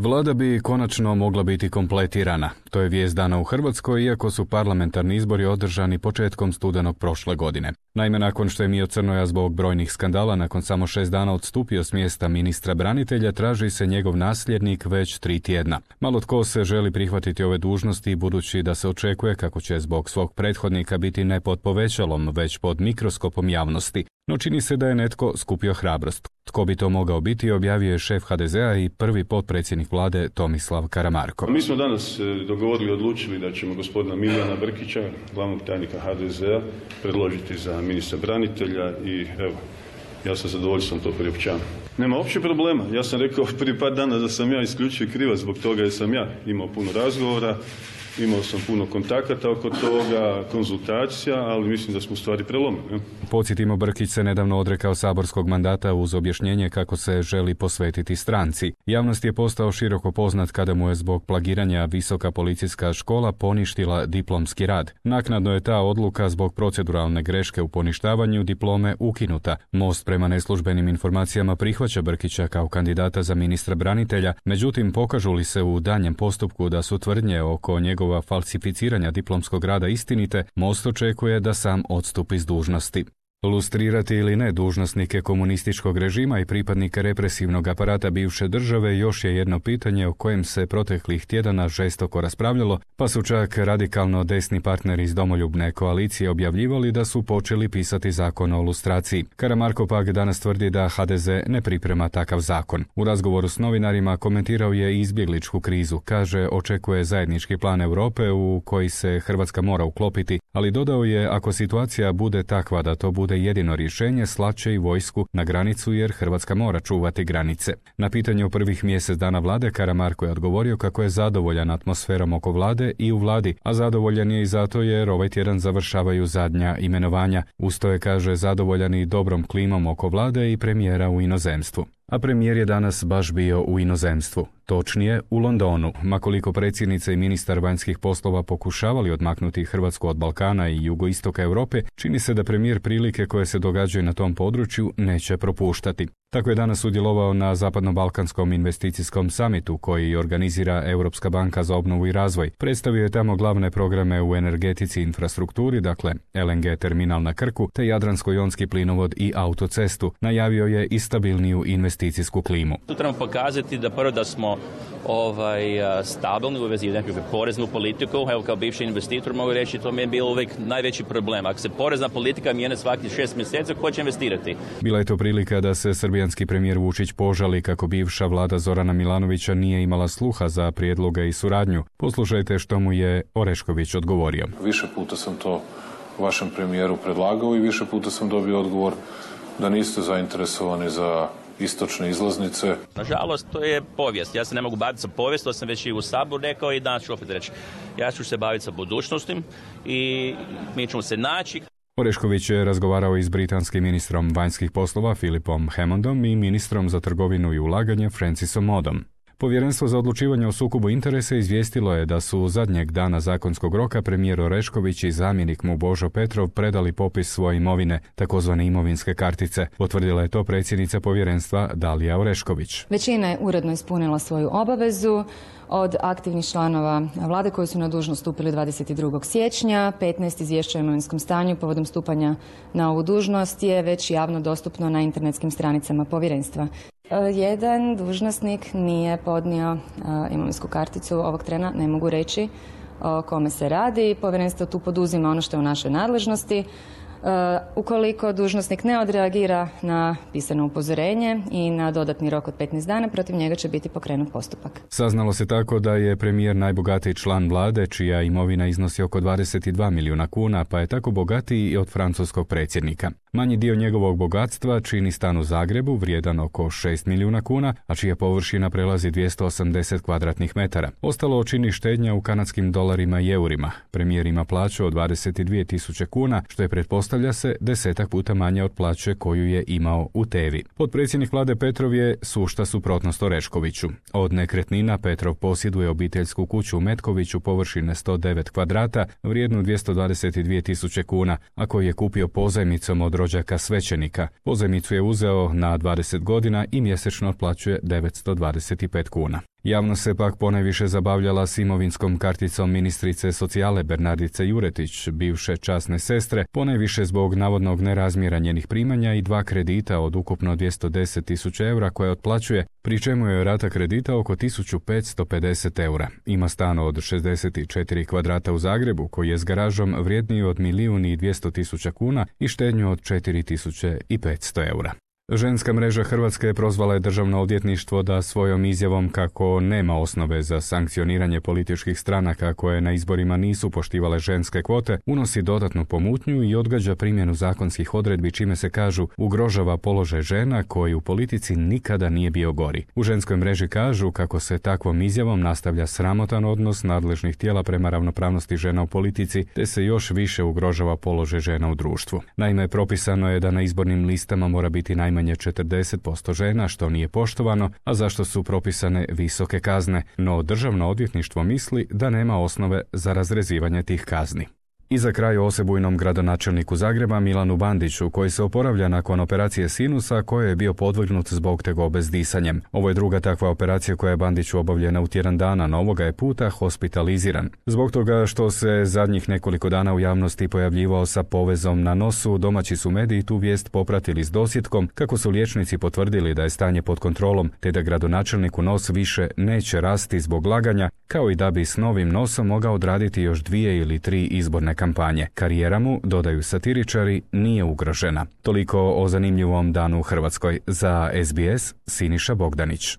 Vlada bi konačno mogla biti kompletirana. To je vijest dana u Hrvatskoj, iako su parlamentarni izbori održani početkom studenog prošle godine. Naime, nakon što je Mio Crnoja zbog brojnih skandala nakon samo 6 dana odstupio s mjesta ministra branitelja, traži se njegov nasljednik već 3 tjedna. Malo tko se želi prihvatiti ove dužnosti, budući da se očekuje kako će zbog svog prethodnika biti ne pod povećalom, već pod mikroskopom javnosti. No čini se da je netko skupio hrabrost. Tko bi to mogao biti, objavio je šef HDZ-a i prvi potpredsjednik vlade Tomislav Karamarko. Mi smo danas dogovorili i odlučili da ćemo gospodina Milijana Brkića, glavnog tajnika HDZ-a, predložiti za ministra branitelja i evo, ja sa zadovoljstvom to priopćavam. Nema uopće problema. Ja sam rekao prije par dana da sam ja isključiv krivac zbog toga jer sam ja imao puno razgovora, imao sam puno kontakata oko toga, konzultacija, ali mislim da smo u stvari prelomili. Podsjetimo, Brkić se nedavno odrekao saborskog mandata uz objašnjenje kako se želi posvetiti stranci. Javnost je postao široko poznat kada mu je zbog plagiranja Visoka policijska škola poništila diplomski rad. Naknadno je ta odluka zbog proceduralne greške u poništavanju diplome ukinuta. Most prema neslužbenim informacijama prihvaća Brkića kao kandidata za ministra branitelja, međutim pokažu li se u danjem postupku da su tvrdnje oko njegova falsificiranja diplomskog rada istinite, Most očekuje da sam odstupi s dužnosti. Lustrirati ili ne dužnosnike komunističkog režima i pripadnike represivnog aparata bivše države još je jedno pitanje o kojem se proteklih tjedana žestoko raspravljalo, pa su čak radikalno desni partneri iz domoljubne koalicije objavljivali da su počeli pisati zakon o lustraciji. Karamarko pak danas tvrdi da HDZ ne priprema takav zakon. U razgovoru s novinarima komentirao je izbjegličku krizu. Kaže, očekuje zajednički plan Europe u koji se Hrvatska mora uklopiti, ali dodao je, ako situacija bude takva da to bude jedino rješenje, slat će i vojsku na granicu jer Hrvatska mora čuvati granice. Na pitanje o prvih mjesec dana vlade Karamarko je odgovorio kako je zadovoljan atmosferom oko vlade i u vladi, a zadovoljan je i zato jer ovaj tjedan završavaju zadnja imenovanja. Usto je, kaže, zadovoljan i dobrom klimom oko vlade i premijera u inozemstvu. A premijer je danas baš bio u inozemstvu. Točnije, u Londonu. Ma koliko predsjednica i ministar vanjskih poslova pokušavali odmaknuti Hrvatsku od Balkana i jugoistoka Europe, čini se da premijer prilike koje se događaju na tom području neće propuštati. Tako je danas sudjelovao na Zapadno-balkanskom investicijskom samitu koji organizira Europska banka za obnovu i razvoj. Predstavio je tamo glavne programe u energetici i infrastrukturi, dakle LNG terminal na Krku, te Jadransko-jonski plinovod i autocestu. Najavio je i stabilniju investicijsku klimu. Tu trebamo pokazati da prvo da smo stabilni u vezi nekakve poreznu politiku. Evo, kao bivši investitor mogu reći, to mi je bilo uvijek najveći problem. Ako se porezna politika mijenja svaki 6 mjeseci, ko će investirati? Bila je to prilika da se srbijanski premijer Vučić požali kako bivša vlada Zorana Milanovića nije imala sluha za prijedloge i suradnju. Poslušajte što mu je Orešković odgovorio. Više puta sam to vašem premijeru predlagao i više puta sam dobio odgovor da niste zainteresovani za istočne izlaznice. Nažalost, to je povijest. Ja se ne mogu baviti sa povijest, to sam već i u Saboru rekao i danas ću opet reći. Ja ću se baviti sa budućnostim i mi ćemo se naći. Orešković je razgovarao i s britanskim ministrom vanjskih poslova Philipom Hammondom i ministrom za trgovinu i ulaganje Francisom Moodom. Povjerenstvo za odlučivanje o sukobu interesa izvijestilo je da su zadnjeg dana zakonskog roka premijer Orešković i zamjenik mu Božo Petrov predali popis svoje imovine, takozvane imovinske kartice. Potvrdila je to predsjednica povjerenstva Dalija Orešković. Većina je uredno ispunila svoju obavezu. Od aktivnih članova vlade koji su na dužnost stupili 22. siječnja, 15 izvješća o imovinskom stanju povodom stupanja na ovu dužnost je već javno dostupno na internetskim stranicama povjerenstva. Jedan dužnosnik nije podnio imovinsku karticu ovog trena, ne mogu reći o kome se radi. Povjerenstvo tu poduzima ono što je u našoj nadležnosti. Ukoliko dužnosnik ne odreagira na pisano upozorenje i na dodatni rok od 15 dana, protiv njega će biti pokrenut postupak. Saznalo se tako da je premijer najbogatiji član vlade, čija imovina iznosi oko 22 milijuna kuna, pa je tako bogatiji i od francuskog predsjednika. Manji dio njegovog bogatstva čini stan u Zagrebu, vrijedan oko 6 milijuna kuna, a čija površina prelazi 280 kvadratnih metara. Ostalo čini štednja u kanadskim dolarima i eurima. Premijer ima plaću od 22.000 kuna, što je pretpostavlja se 10 puta manje od plaće koju je imao u Tevi. Potpredsjednik vlade Petrov je sušta suprotnost Oreškoviću. Od nekretnina Petrov posjeduje obiteljsku kuću u Metkoviću površine 109 kvadrata, vrijednu 222.000 kuna, a koju je kupio pozajmicom od rođaka svećenika. Pozajmicu je uzeo na 20 godina i mjesečno otplaćuje 925 kuna. Javnost se pak ponajviše zabavljala s imovinskom karticom ministrice socijale Bernardice Juretić, bivše časne sestre, ponajviše zbog navodnog nerazmjera njenih primanja i 2 kredita od ukupno 210.000 eura koje otplaćuje, pri čemu je rata kredita oko 1.550 eura. Ima stan od 64 kvadrata u Zagrebu koji je s garažom vrijedniji od 1.200.000 kuna i štednju od 4.500 eura. Ženska mreža Hrvatske prozvala je Državno odvjetništvo da svojom izjavom kako nema osnove za sankcioniranje političkih stranaka koje na izborima nisu poštivale ženske kvote, unosi dodatnu pomutnju i odgađa primjenu zakonskih odredbi čime se kažu ugrožava položaj žena koji u politici nikada nije bio gori. U ženskoj mreži kažu kako se takvom izjavom nastavlja sramotan odnos nadležnih tijela prema ravnopravnosti žena u politici, te se još više ugrožava položaj žena u društvu. Naime, propisano je da na izbornim listama mora biti najmanje 40% žena, što nije poštovano, a zašto su propisane visoke kazne, no Državno odvjetništvo misli da nema osnove za razrezivanje tih kazni. I za kraj o osebujnom gradonačelniku Zagreba Milanu Bandiću, koji se oporavlja nakon operacije sinusa koje je bio podvrgnut zbog tegobe s disanjem. Ovo je druga takva operacija koja je Bandiću obavljena u tjedan dana, no ovoga je puta hospitaliziran. Zbog toga što se zadnjih nekoliko dana u javnosti pojavljivao sa povezom na nosu, domaći su mediji tu vijest popratili s dosjetkom kako su liječnici potvrdili da je stanje pod kontrolom, te da gradonačelniku nos više neće rasti zbog laganja, kao i da bi s novim nosom mogao odraditi još 2 ili 3 izborne kampanje. Karijera mu, dodaju satiričari, nije ugrožena. Toliko o zanimljivom danu u Hrvatskoj. Za SBS, Siniša Bogdanić.